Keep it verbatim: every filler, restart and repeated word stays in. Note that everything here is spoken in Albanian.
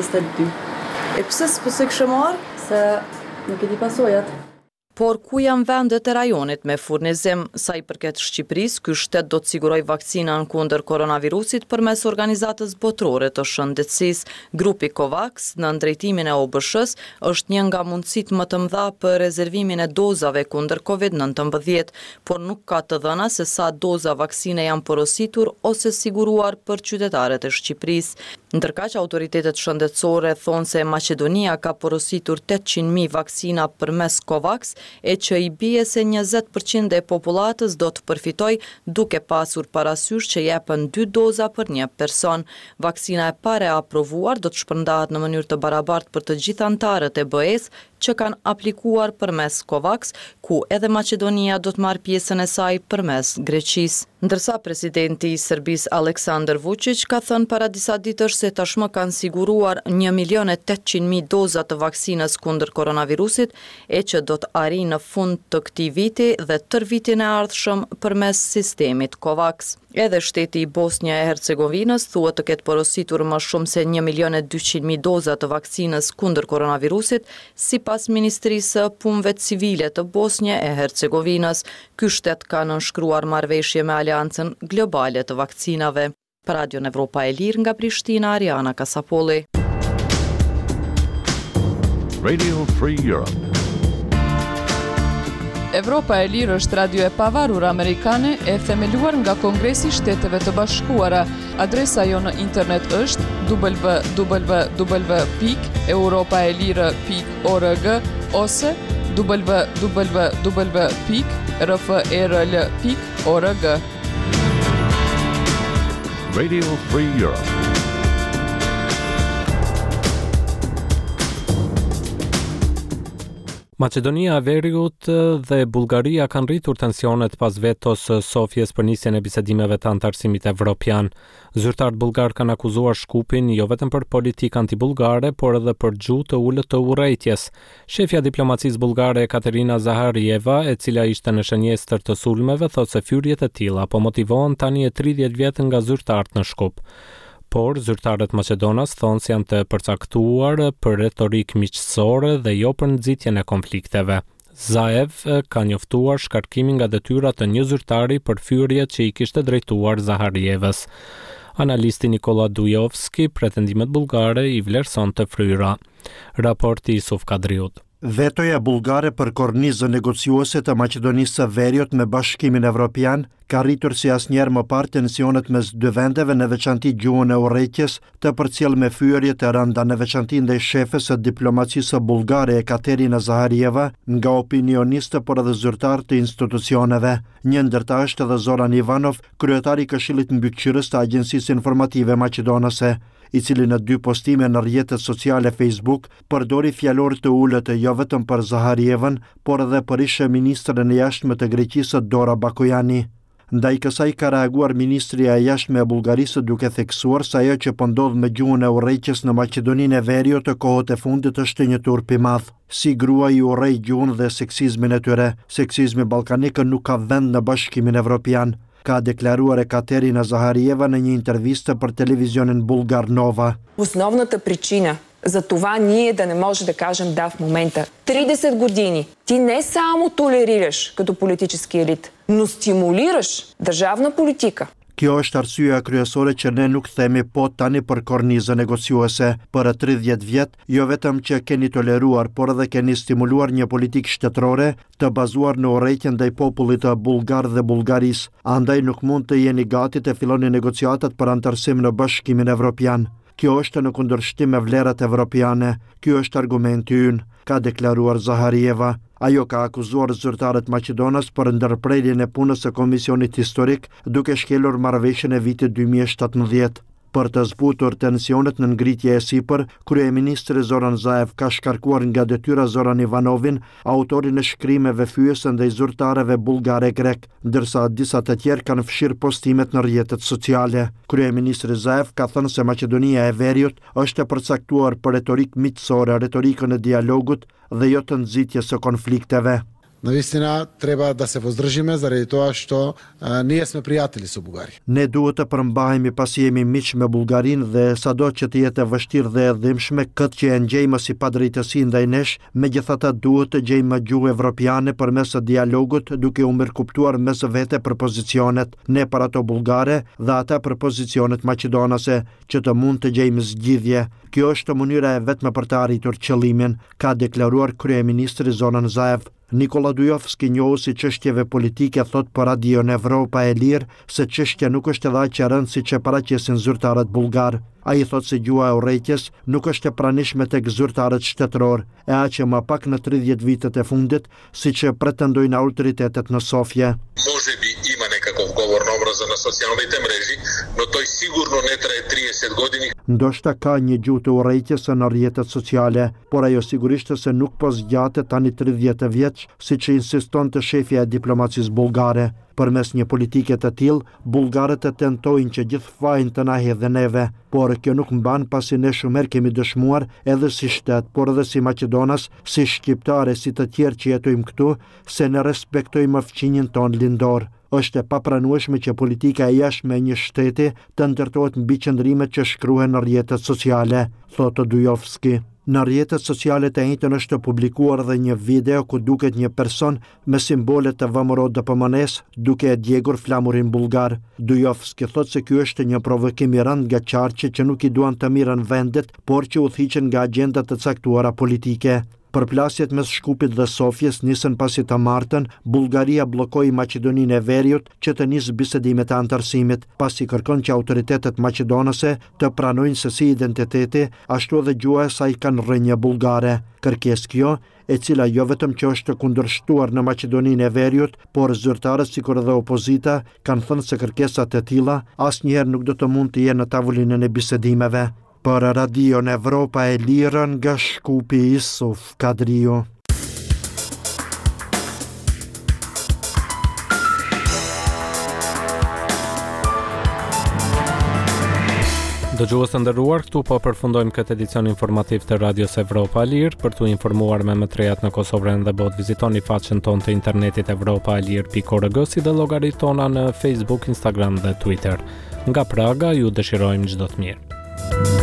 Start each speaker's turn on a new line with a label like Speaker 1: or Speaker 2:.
Speaker 1: njëzet e dy.
Speaker 2: E pse s'po se kishe marrë?
Speaker 1: Se nuk e di pasojat.
Speaker 2: Por ku janë vendet e rajonit me furnizim? Sa i përket Shqipërisë, ky shtet do të sigurojë vaksinën kundër koronavirusit përmes Organizatës Botërore të Shëndetësisë. Grupi COVAX, në drejtimin e O B Sh-s, është një nga mundësitë më të mëdha për rezervimin e dozave kundër Covid nëntëmbëdhjetë, por nuk ka të dhëna se sa doza vaksine janë porositur ose siguruar për qytetarët e Shqipërisë. Ndërkaq, autoritetet shëndetësore thonë se Maqedonia ka porositur tetëqind mijë vaksina përmes COVAX, e që i bie se njëzet për qind e popullatës do të përfitoj, duke pasur parasysh që jepen dy doza për një person. Vaksina e parë e aprovuar do të shpërndahet në mënyrë të barabartë për të gjithë anëtarët e B E-s që kanë aplikuar përmes COVAX, ku edhe Maqedonia do të marrë pjesën e saj përmes Greqisë. Ndërsa presidenti i Serbisë, Aleksandar Vučić, ka thënë para disa ditësh se tashmë kanë siguruar një milion e tetëqind mijë doza të vaksinës kundër koronavirusit, e që do të arrijë në fund të këtij viti dhe tërë vitin e ardhshëm përmes sistemit COVAX. Edhe shteti i Bosnjë e Hercegovinës thuhet të ketë porositur më shumë se një milion e dyqind mijë doza të vaksinës kundër koronavirusit, sipas Ministrisë së Punëve Civile të Bosnjë e Hercegovinës. Ky shtet ka nënshkruar marrëveshje me Aleancën Globale të Vaksinave. Për Radion Evropa e Lirë nga Prishtina, Ariana Kasapolli.
Speaker 3: Radio Free Europe.
Speaker 4: Evropa e Lirë është radio e pavarur amerikane e themeluar nga Kongresi i Shteteve të Bashkuara. Adresa jonë në internet është W W W pikë europaelire pikë org ose W W W pikë R F E R L pikë org.
Speaker 3: Radio Free Europe.
Speaker 5: Maqedonia e Veriut dhe Bullgaria kanë rritur tensionet pas vetos së Sofjes për nisjen e bisedimeve të anëtarësimit evropian. Zyrtarët bullgar kanë akuzuar Shkupin jo vetëm për politikë antibullgare, por edhe për gjuhë të ulët të urrejtjes. Shefja e diplomacisë bullgare, Katerina Zaharieva, e cila ishte në shënjestër të sulmeve, thotë se fyrjet e tilla po motivohen tani e tridhjetë vjet nga zyrtarët në Shkup. Por zyrtarët maqedonas thonë se janë të përcaktuar për retorikë miqësore dhe jo për nxitjen e konflikteve. Zaev ka njoftuar shkarkimin nga detyra të një zyrtari për fyrjet që i kishte drejtuar Zaharievës. Analisti Nikola Dujovski pretendimet bullgare i vlerëson të fryra. Raporti i Suf Kadriut.
Speaker 6: Vetoja bullgare për kornizën negociuese të Maqedonisë së Veriut me Bashkimin Evropian ka rritur si asnjëherë më parë tensionet mes dy vendeve, në veçanti gjuhën e urrejtjes të përcjell me fyerje të rënda, në veçanti ndaj shefës së diplomacisë bullgare, Ekaterina Zaharieva, nga opinionistë, por edhe zyrtarë të institucioneve. Një ndër ta është edhe Zoran Ivanov, kryetari i Këshillit Mbikëqyrës të Agjencisë Informative Maqedonase, i cili në dy postime në rrjetet sociale Facebook përdori fjalor të ulët jo vetëm për Zaharievën, por edhe për ishe ministrën e jashtme të Greqisë, Dora Bakojani. Ndaj kësaj ka reaguar Ministria e Jashtme e Bullgarisë, duke theksuar se ajo që po ndodh me gjuhën e urrejtjes në Maqedoninë e Veriut të kohët e fundit është një turp i madh. Si grua i urrej gjuhën dhe seksizmin e tyre. Seksizmi ballkanik nuk ka vend në Bashkimin Evropian, ka deklaruar Ekaterina Zaharieva në një intervistë për televizionin bullgar Nova.
Speaker 7: Основната причина за това ние да не може да кажем да в момента. тридесет години ти не само толерираш като политически елит, но стимулираш държавна политика.
Speaker 6: Kjo është arsyeja kryesore që ne nuk themi po tani për kornizën negociuese. Për tridhjetë vjet, jo vetëm që keni toleruar, por edhe keni stimuluar një politikë shtetërore të bazuar në urrejtjen ndaj popullit të bullgar dhe Bullgarisë. Andaj nuk mund të jeni gati të filloni negociatat për anëtarësim në Bashkimin Evropian. Kjo është në kundërshtim me vlerat evropiane. Ky është argumenti ynë, ka deklaruar Zaharieva. Ajo ka akuzuar zyrtarët maqedonas për ndërprerjen e punës së Komisionit Historik, duke shkelur marrëveshjen e vitit dy mijë e shtatëmbëdhjetë. Për të zbutur tensionet në ngritje e sipër, kryeministri Zoran Zaev ka shkarkuar nga detyra Zoran Ivanovin, autorin e shkrimeve fyese ndaj zyrtarëve bullgare e grek, ndërsa disa të tjerë kanë fshirë postimet në rrjetet sociale. Kryeministri Zaev ka thënë se Maqedonia e Veriut është e përcaktuar për retorikë miqësore, retorikën e dialogut dhe jo të nxitjes së konflikteve.
Speaker 8: Навистина треба да се воздржиме заради тоа што а, ние сме пријатели со Бугарија.
Speaker 6: Ne duhet të përmbahemi pasi jemi miq me Bullgarinë dhe sado që të jetë e vështirë dhe e dhimbshme, këtë që e ndjejmë si padrejtësi ndaj nesh, megjithatë duhet të gjejmë gjuhë evropiane përmes dialogut, duke u mirëkuptuar mes vete për pozicionet, ne për ato bullgare dhe ata për pozicionet maqedonase, që të mund të gjejmë zgjidhje. Kjo është mënyra e vetme për të arritur qëllimin, ka deklaruar kryeministri Zoran Zaev. Nikola Dujovski, njohës i çështjeve politike, thot për Radion Evropa e Lirë se çështja nuk është edhe aq e rëndë siç e paraqesin zyrtarët bullgar. Ai thot se gjuha e urrejtjes nuk është e pranishme tek zyrtarët shtetëror, e aq e më pak në tridhjetë vitet e fundit, siç e pretendojnë autoritetet në Sofje.
Speaker 9: Можеби има некаков говор на омраза на социјалните мрежи, но тој сигурно не трае триесет години.
Speaker 6: Ndoshta ka një gjuhë të urrejtjes në rrjetet sociale, por ajo sigurisht se nuk po zgjatet tani tridhjetë vjeç, siç insistonte shefja e diplomacisë bullgare. Përmes një politike të tillë, bullgarët e tentojnë që gjithë fajin të na hedhin neve, por kjo nuk mban pasi ne shumë herë kemi dëshmuar edhe si shtet, por edhe si maqedonas, si shqiptare, si të tjerë që jetojmë këtu, se ne respektojmë fqinjin ton lindor. Është e papranueshme që politika e jashtme e një shteti të ndërtohet mbi qëndrimet që shkruhen në rrjetet sociale, thotë Dujovski. Në rrjetet sociale të enjten është publikuar edhe një video ku duket një person me simbole të V M R O D P M N-s duke e djegur flamurin bullgar. Dujovski thotë se ky është një provokim i rëndë nga qarqe që nuk i duan të mirën vendit, por që udhëhiqen nga agjenda të caktuara politike. Përplasjet mes Shkupit dhe Sofjes nisën pasi të martën, Bullgaria bllokoi Maqedoninë e Veriut që të nisë bisedimet e anëtarësimit, pasi kërkon që autoritetet maqedonase të pranojnë se si identiteti, ashtu edhe gjuha e saj kanë rrënjë bullgare. Kërkesë kjo, e cila jo vetëm që është kundërshtuar në Maqedoninë e Veriut, por zyrtarët sikur edhe opozita kanë thënë se kërkesat e tilla asnjëherë nuk do të mund të jenë në tavolinën e bisedimeve. Për Radion Evropa e Lirë nga Shkupi, Isuf Kadriu.
Speaker 5: Dëgjues të nderuar, këtu po përfundojmë këtë edicion informativ të Radios Evropa e Lirë. Për t'u informuar me më të rejat në Kosovë dhe botë, vizitoni faqen tonë të internetit evropa e lirë pikë org, si dhe llogaritë tona në Facebook, Instagram dhe Twitter. Nga Praga ju dëshirojmë çdo të mirë.